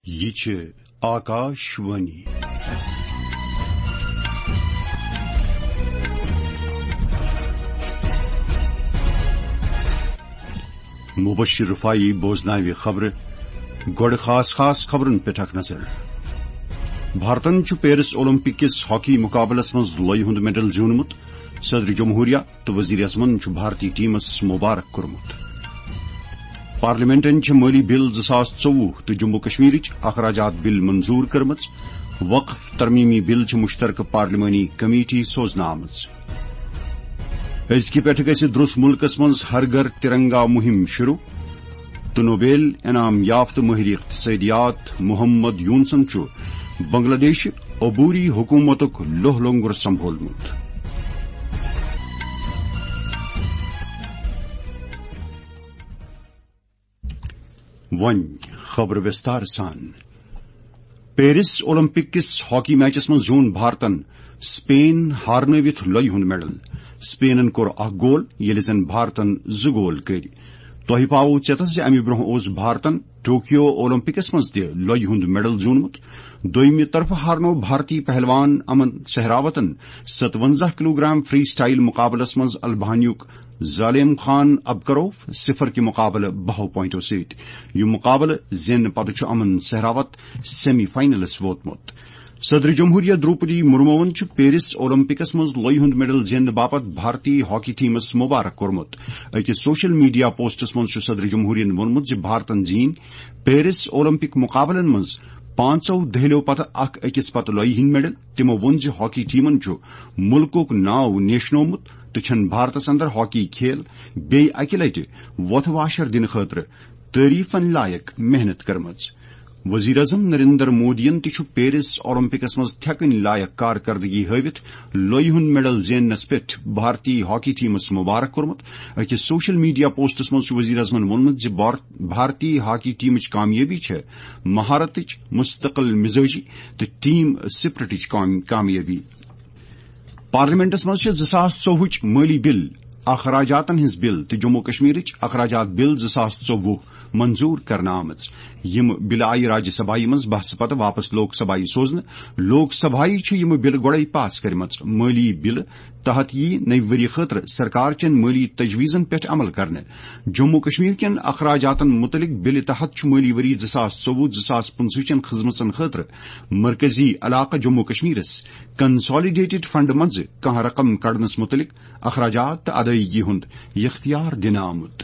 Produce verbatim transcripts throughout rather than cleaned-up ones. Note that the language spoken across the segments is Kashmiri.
یہِ چھِ آکاش وانی۔ مبشر رفاعی بوزناوِ خبرٕ۔ گۄڈٕ خاص خاص خبرن پٮ۪ٹھ اکھ نظر۔ بھارتن چھُ پیرس اولمپک کِس ہاکی مقابلس منٛز لۄیہِ ہُنٛد میڈل زیوٗنمُت۔ صدر جمہوریہ تہٕ وزیر اعظمن چھُ بھارتی ٹیمس مبارک کوٚرمُت۔ پارلیمنٹن چھِ مٲلی بل زٕ ساس ژوٚوُہ تہٕ جموں کشمیرٕچ اخراجات بل منظور کٔرمٕژ۔ وقف ترمیمی بل چھِ مشترکہٕ پارلیمانی کمیٹی سوزنہٕ آمٕژ۔ أزکہِ پٮ۪ٹھٕ گژھِ درٛس مُلکس منٛز ہر گھر ترنگا مُہِم شروع۔ تہٕ نوبیل انعام یافتہٕ مٲہِرِ اقتصٲدِیات محمد یونسن چھُ بنگلہ دیشہِ عبوری حکوٗمتُک لوہ لنگر سنبھولمُت۔ وۄنۍ خبرٕ وِستار سان۔ پیرس اولمپک کِس ہاکی میچس منٛز زیوٗن بھارتن سپین ہارنٲوِتھ لۄیہِ ہُنٛد میڈل۔ سپینن کوٚر اکھ گول، ییٚلہِ زن بھارتن زٕ گول کٔرۍ۔ تۄہہِ پاوو ژیتس زِ امہِ برونٛہہ اوس بھارتن ٹوکیو اولمپکس منٛز تہِ لۄیہِ ہُنٛد میڈل زیوٗنمُت۔ دوٚیمہِ طرفہٕ ہارنوو بھارتی پہلوان امن سہراوتن ستونزہ کلوگرام فری سٹائل مقابلس منٛز البانیُک ظالم خان ابکروف صفر کہِ مقابلہٕ بہو پوائنٹو سۭتۍ۔ یہِ مقابلہٕ زینہٕ پتہٕ چھُ امن سہراوت سیمی فائنلس ووتمُت۔ صدر جمہوریہ دروپدی مرموون چھُ پیرس اولمپکس منٛز لۄیہِ ہُنٛد میڈل زیننہٕ باپتھ بھارتی ہاکی ٹیمس مبارک کوٚرمُت۔ أکِس سوشل میڈیا پوسٹس منٛز چھُ صدر جمہوریہن ووٚنمُت زِ بھارتن زیٖنۍ پیرس اولمپک مقابلن منٛز پانٛژو دٔہلیو پتہٕ اکھ أکِس پتہٕ لۄیہِ ہٕنٛدۍ میڈل۔ تِمو ووٚن زِ ہاکی ٹیمن چھُ مُلکُک ناو نیشنومُت تہٕ چھَن بھارتس اندر ہاکی کھیل بیٚیہِ اکہِ لٹہِ وۄتھٕ واشر دِنہٕ خٲطرٕ تعریفن لایق محنت کٔرمٕژ۔ وزیر اعظم نریندر مودیَن تہِ چھُ پیرس اولمپکس منٛز تھٮ۪کٕنۍ لایق کارکردگی ہٲوِتھ لۄیہِ ہُنٛد میڈل زیننس پٮ۪ٹھ بھارتی ہاکی ٹیمس مبارک کوٚرمُت۔ أکِس سوشل میڈیا پوسٹس منٛز چھُ وزیر اعظمن ووٚنمُت زِ بھار-، بھارتی ہاکی ٹیمٕچ کامیٲبی چھےٚ مہارتٕچ، مستقل مزاجی تہٕ ٹیم سپرٹٕچ کام-، کامیٲبی۔ پارلیمنٹس منٛز چھِ زٕ ساس ژوٚوُہٕچ مٲلی بل، اخراجاتن ہٕنٛز بل تہٕ جموں کشمیرٕچ اخراجات بل زٕ ساس ژوٚوُہ منظور کرنہٕ آمٕژ۔ یِم بلہٕ آیہِ راجیہ سبھایہِ منٛز بحثہٕ پتہٕ واپس لوک سبھایہِ سوزنہٕ۔ لوک سبھایہِ چھِ یِم بلہٕ گۄڈَے پاس کٔرمٕژ۔ مٲلی بلہٕ تحت یِیہِ نٔوِ ؤری خٲطرٕ سرکار چٮ۪ن مٲلی تجویزن پٮ۪ٹھ عمل کرنہٕ۔ جموں کشمیر کٮ۪ن اخراجاتن متعلق بلہِ تحت چھُ مٲلی ؤری زٕ ساس ژوٚوُہ زٕ ساس پٕنٛژٕہ چٮ۪ن خدمژن خٲطرٕ مرکزی علاقہٕ جموں کشمیرس کنسالیڈیٹڈ فنڈ منٛزٕ کانٛہہ رقم کڑنس متعلق اخراجات تہٕ ادائیگی ہُنٛد اختیار دِنہٕ آمُت۔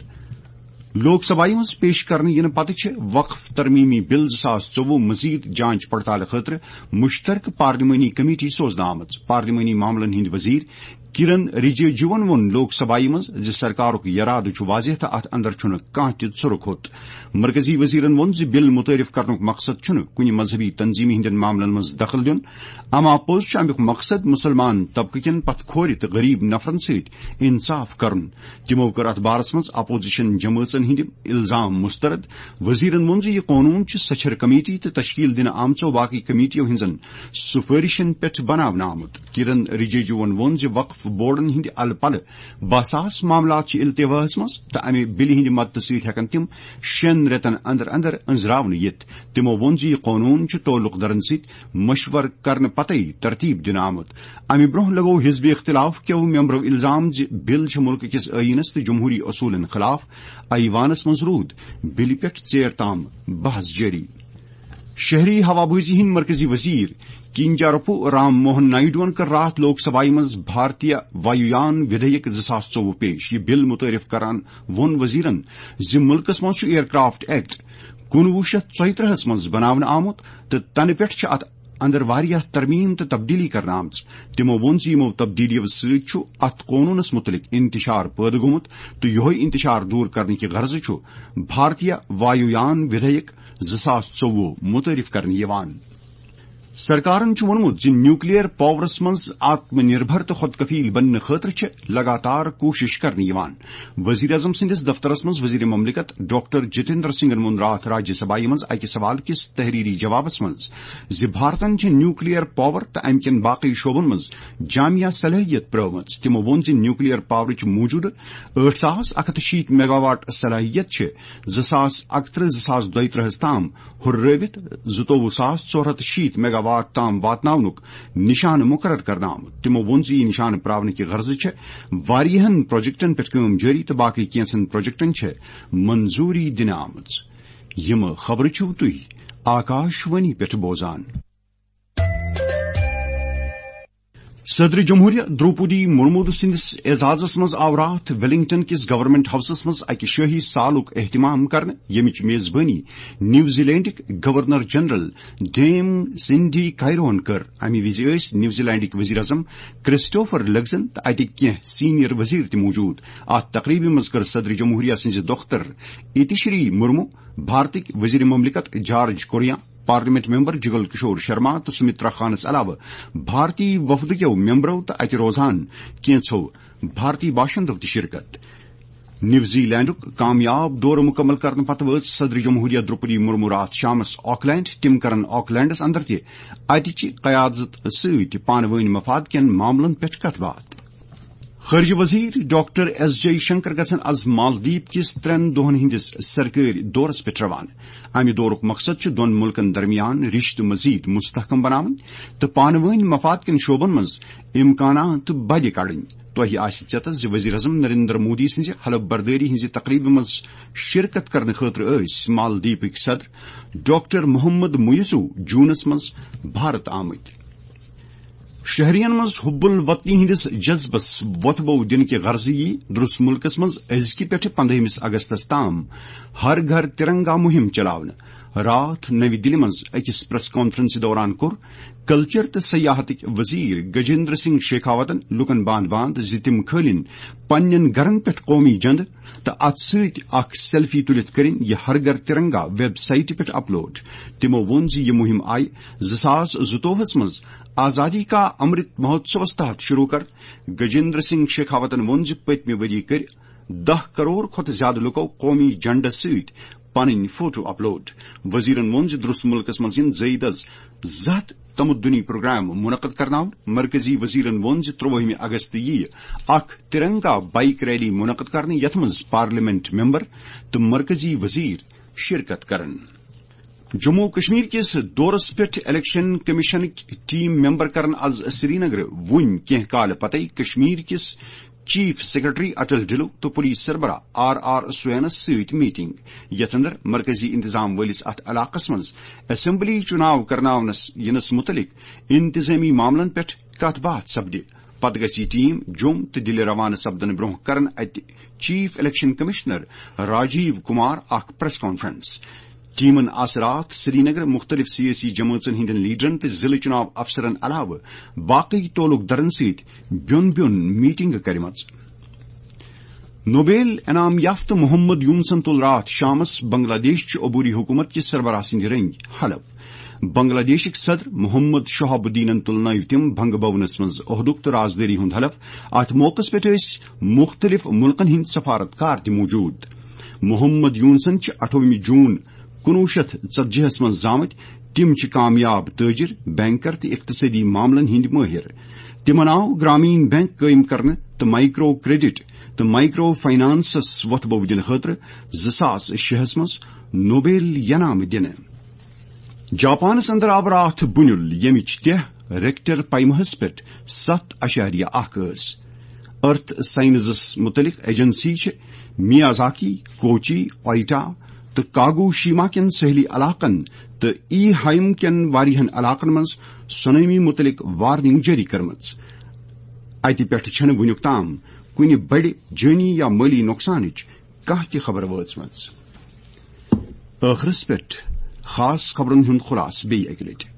لوک سبھایہِ منٛز پیش کرنہٕ یِنہٕ پتہٕ چھِ وقف ترمیمی بل زٕ ساس ژوٚوُہ مزید جانچ پڑتال خٲطرٕ مشترکہٕ پارلیمانی کمیٹی سوزنہٕ آمٕژ۔ پارلیمانی معاملن ہٕنٛدۍ وزیر کرن رجیجوَن ووٚن لوک سبھایہِ منٛز زِ سرکارُک یرادٕ چھُ واضح تہٕ اتھ اندر چھُنہٕ کانٛہہ تہِ ژھُرٕ کھوٚت۔ مرکزی وزیرن ووٚن زِ بل متعارف کرنُک مقصد چھُنہٕ کُنہِ مذہبی تنظیمہِ ہٕنٛدٮ۪ن معاملن منٛز دخل دیُن، اما پوٚز چھُ امیُک مقصد مسلمان طبقہٕ کٮ۪ن پتھ کھورِ تہٕ غریب نفرن سۭتۍ انصاف کرُن۔ تِمو کٔر اتھ بارس منٛز اپوزیشن جمٲژن ہٕنٛدۍ الزام مسترد۔ وزیرن ووٚن زِ یہِ قونوٗن چھُ سچھر کمیٹی تہٕ تشکیل دِنہٕ آمژو باقی کمیٹیو ہٕنٛزن سفٲرشن پٮ۪ٹھ بناونہٕ آمُت۔ کرن رجیجوَن ووٚن زِ وقف بورڈن ہٕنٛدِ الہٕ پلہٕ باہ ساس معاملات چھِ التواہس منٛز تہٕ امہِ بلہِ ہٕنٛدِ مدتہٕ سۭتۍ ہٮ۪کن تِم شٮ۪ن رٮ۪تن اندر اندر أنٛزراونہٕ یِتھ۔ تِمو ووٚن زِ یہِ قونوٗن چھُ تعلق دارن سۭتۍ مشورٕ کرنہٕ پتے ترتیب دِنہٕ آمُت۔ امہِ برونٛہہ لگوو حزب اختلاف کیو ممبرو الزام زِ بل چھِ ملکہٕ کِس ٲییٖنس تہٕ جمہوری اصوٗلن خلاف۔ ایوانس منٛز روٗد بلہِ پٮ۪ٹھ ژیر تام بحث جٲری۔ شہری ہوابازی ہٕنٛدۍ مرکزی وزیر کینجارپو رام موہن نائیڈوَن کٔر راتھ لوک سبھایہ منٛز بھارتیہ وایویان ودھیک زٕ ساس ژوٚوُہ پیش۔ یہِ بل متعارف کران ووٚن وزیرن زِ ملکس منٛز چھُ ایئر کرافٹ ایکٹ کُنوُہ شیٚتھ ژۄیہِ ترٕٛہس منٛز بناونہٕ آمُت تہٕ تنہٕ پٮ۪ٹھ چھِ اتھ اندر واریاہ ترمیم تہٕ تبدیلی کرنہٕ آمژٕ۔ تِمو ووٚن زِ یِمو تبدیلیو سۭتۍ چھُ اتھ قونوٗنس مُتعلق انتشار پٲدٕ گوٚمُت تہٕ یِہوٚے انتشار دوٗر کرنہٕ کہِ غرضہٕ چھُ بھارتیہ وایویان ودھیک زٕ ساس ژوٚوُہ متعارف کرنہٕ یِوان۔ سرکارن چھُ ووٚنمُت زِ نیوکلیئر پاورس منٛز آتم نربھر تہٕ خود کفیل بننہٕ خٲطرٕ چھِ لگاتار کوٗشش کرنہٕ یِوان۔ وزیر اعظم سٕنٛدِس دفترس منٛز وزیر مملکت ڈاکٹر جتیندر سنگھن ووٚن راتھ راجیہ سبھایہ منٛز اکہِ سوال کِس تحریری جوابس منٛز زِ بھارتن چھِ نیوکلیئر پاور تہٕ امہِ کٮ۪ن باقی شعبن منٛز جامع صلٲحیت پرٲومٕژ۔ تِمو ووٚن زِ نیوکلیئر پاورٕچ موٗجوٗدٕ ٲٹھ ساس اکھ ہتھ شیٖتھ میگاواٹ صلٲحیت چھِ زٕ ساس اکترٕہ زٕ ساس دۄیترٕہس تام ہُررٲوِتھ زٕتووُہ ساس ژور ہتھ شیٖتھ میگاواٹ تام واتناونُک نشانہٕ مقرر کرنہٕ آمُت۔ تِمو ووٚن زِ یہِ نشانہٕ پراونہٕ کہِ غرضہٕ چھِ واریاہن پروجیکٹن پٮ۪ٹھ کٲم جٲری تہٕ باقٕے کینٛژن پروجیکٹن چھِ منظوٗری دِنہٕ آمٕژ۔ یِم خبرٕ چھِو تُہۍ آکاش وانی پٮ۪ٹھ بوزان۔ صدر جمہوریہ دروپدی مرمو سٕنٛدِس اعزازس منٛز آو راتھ ویلنگٹن کِس گورنمنٹ ہاؤسس منٛز اکہِ شٲہی سالُک اہتمام کرنہٕ، ییٚمِچ میزبٲنی نیوزی لینڈٕکۍ گورنر جنرل ڈیم سنڈی کائرون کٔر۔ امہِ وِزِ ٲسۍ نیوزی لینڈٕکۍ وزیر اعظم کرسٹوفر لگزن تہٕ اتٕکۍ کینٛہہ سینئر وزیر تہِ موجود۔ اتھ تقریبہِ منٛز کٔر صدر جمہوریہ سٕنٛزِ دختر اتشری مرمو، بھارتٕکۍ وزیر مملکت George Kurian, parliament member Jugal Kishore Sharma تہٕ سمترا خانس علاوٕ بھارتی وفدٕ کیو ممبرو تہٕ اتہِ روزان کینژھو بھارتی باشندو تہِ شرکت۔ نیوزی لینڈُک کامیاب دورٕ مکمل کرنہٕ پتہٕ وٲژ صدر جمہوریہ دروپدی مرمو راتھ شامس آکلینڈ۔ تِم کرن آکلینڈس اندر تہِ اتہِ چہِ قیادت سۭتۍ پانہٕ وٲنۍ مفاد کٮ۪ن معاملن پٮ۪ٹھ کتھ باتھ۔ خارجہ وزیر ڈاکٹر ایس جے شنکر گژھن از مالدیپ کِس ترٛٮ۪ن دۄہن ہٕنٛدِس سرکٲرۍ دورس پٮ۪ٹھ روانہٕ۔ امہِ دورُک مقصد چھُ دۄن مُلکن درمیان رشتہٕ مزید مستحکم بناوٕنۍ تہٕ پانہٕ وٲنۍ مفاد کٮ۪ن شعبن منٛز امکانات بدِ کڑٕنۍ۔ تۄہہِ آسہِ ژیتس زِ وزیر اعظم نریندر مودی سٕنٛزِ حلف بردٲری ہٕنٛزِ تقریبہِ منٛز شرکت کرنہٕ خٲطرٕ ٲسۍ مالدیپٕکۍ صدر ڈاکٹر محمد مُیزو جوٗنس منٛز بھارت آمٕتۍ۔ شہرین منٛز حب الوطنی ہٕنٛدِس جذبس وۄتھٕ بو دِنہٕ کہِ غرضہٕ یی درس مُلکس منٛز أزکہِ پٮ۪ٹھٕ پندہمس اگستس تام ہر گھر ترنگا مُہِم چلاونہٕ۔ راتھ نٔوِ دِلہِ منٛز أکِس پریس کانفرنسہِ دوران کوٚر کلچر تہٕ سیاحتٕکۍ وزیر گجیندر سنگھ شیخاوتن لوٗکن باند باند زِ تِم کھٲلِن پننٮ۪ن گرن پٮ۪ٹھ قومی جھنڈٕ تہٕ اتھ سۭتۍ اکھ سیلفی تُلِتھ کٔرِن یہِ ہر گھر ترنگا ویب سائٹہِ پٮ۪ٹھ اپلوڈ۔ تِمو ووٚن زِ یہِ مُہِم آیہِ زٕ ساس زٕتووُہس منٛز آزادی کا امرت مہوتسوس تحت شروع کرنہٕ۔ گجیندر سنگھ شیخاوتن ووٚن زِ پٔتمہِ ؤری کٔرۍ دَہ کرور کھۄتہٕ زیادٕ لُکو قومی جھنڈس سۭتۍ پنٕنۍ فوٹو اپلوڈ۔ وزیرن ووٚن زِ درس مُلکس منٛز یِن زٲیدس زٕ ہتھ تمدنی پروگرام منعقد کرناونہٕ۔ مرکزی وزیرن ووٚن زِ ترٛوٲہمہِ اگست یِیہِ اکھ ترنگا بائیک ریلی منعقد کرنہٕ، یتھ منٛز پارلیمنٹ ممبر تہٕ مرکزی وزیر شرکت کرن۔ جموں و کشمیر کِس دورس پٮ۪ٹھ الیکشن کمیشنٕکۍ ٹیم ممبر کرن از سرینگرٕ وُنۍ کینٛہہ کالہٕ پتے کشمیر کِس چیف سیکرٹری اٹل ڈھلو تہٕ پولیس سربراہ آر آر سوینس سۭتۍ میٹنگ، یتھ اندر مرکزی انتظام وٲلِس اتھ علاقس منٛز اسمبلی چُناو کرناونس یِنس مُتعلق انتظٲمی معاملن پٮ۪ٹھ کتھ باتھ سپدِ۔ پتہٕ گژھِ یہِ ٹیم جوٚم تہٕ دِلہِ روانہٕ سپدنہٕ برونٛہہ کرن اتہِ chief election commissioner Rajiv Kumar اکھ پریس کانفرنس۔ ٹیمن آسہٕ راتھ سرینگر مُختٔلِف سیٲسی جمٲژن ہٕنٛدٮ۪ن لیڈرن تہٕ ضلعہٕ چُناو افسرن علاوٕ باقٕے تعلق دارن سۭتۍ بیوٚن بیوٚن میٹنگہٕ کرِمژٕ۔ نوبیل انعام یافتہٕ محمد یونسن تُل راتھ شامس بنگلہ دیش چہِ عبوری حکومت کہِ سربراہ سٕنٛدِ رٔنگۍ حلف۔ بنگلہ دیشٕکۍ صدر محمد شہاب الدینن تُل نٲوۍ تِم بنگہٕ بھونس منٛز عہدُک تہٕ رازدٲری ہُنٛد حلف۔ اتھ موقعس پٮ۪ٹھ ٲسۍ مُختٔلِف مُلکن ہٕنٛدۍ سفارت کار تہِ موجود۔ محمد یونسن چھِ اَٹھووُہمہِ جوٗن کُنوُہ شیٚتھ ژتجی ہس منٛز زامٕتۍ۔ تِم چھِ کامیاب تٲجر، بینکر تہٕ اقتصٲدی معاملن ہٕنٛدۍ مٲہِر۔ تِمن آو گرامین بینک قٲیِم کرنہٕ تہٕ مائیکرو کریڈٹ تہٕ مائیکرو فائنانسس وۄتھٕ بو دِنہٕ خٲطرٕ زٕ ساس شےٚ ہس منٛز نوبیل انعام دِنہٕ۔ جاپانس اندر آو راتھ بُنیُل، ییٚمِچ تہہ ریکٹر پیمہس پٮ۪ٹھ ستھ اعشاریہ اکھ ٲس۔ ارتھ سائنسس متعلق ایجنسی چھِ میازاکی، کوچی، اوئٹا تہٕ کاگوشیما کٮ۪ن ساحلی علاقن تہٕ ای ہائم کٮ۪ن واریاہن علاقن منٛز سونامی متعلق وارننگ جٲری کٔرمٕژ۔ اتہِ پٮ۪ٹھ چھنہٕ وُنیُک تام کُنہِ بڑِ جٲنی یا مٲلی نۄقصانٕچ کانٛہہ تہِ خبر وٲژمٕژ۔ ٲخرس پٮ۪ٹھ خاص خبرن ہُنٛد خلاصہٕ بیٚیہِ اکہِ لٹہِ۔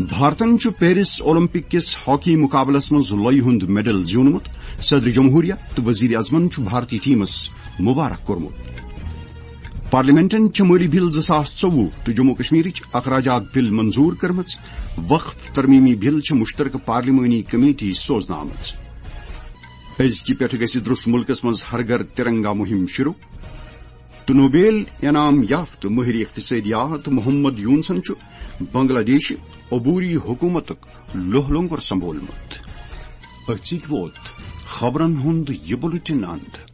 بھارتن چھُ پیرس اولمپک کِس ہاکی مقابلس منٛز لۄیہِ ہُنٛد میڈل زیوٗنمُت۔ صدر جمہوریہ تہٕ وزیر اعظمن چھُ بھارتی ٹیمس مبارک کوٚرمُت۔ پارلیمنٹن چھِ مٲلی بل زٕ ساس ژوٚوُہ تہٕ جموں کشمیرٕچ اخراجات بل منظور کٔرمٕژ۔ وقف ترمیمی بل چھِ مشترکہٕ پارلیمانی کمیٹی سوزنہٕ آمٕژ۔ أزکہِ پٮ۪ٹھٕ گژھِ درٛس مُلکس منٛز ہر گھر ترنگا مُہِم شروع۔ تہٕ نوبیل انعام یافتہٕ مٲہرِ اقتصٲدیات محمد یونسن چھُ بنگلہ دیشہِ عبوری حکوٗمتُک لوہ لنگر سنبھولمُت۔ أتھۍ سۭتۍ ووت خبرن ہُنٛد یہِ بُلٹن اند۔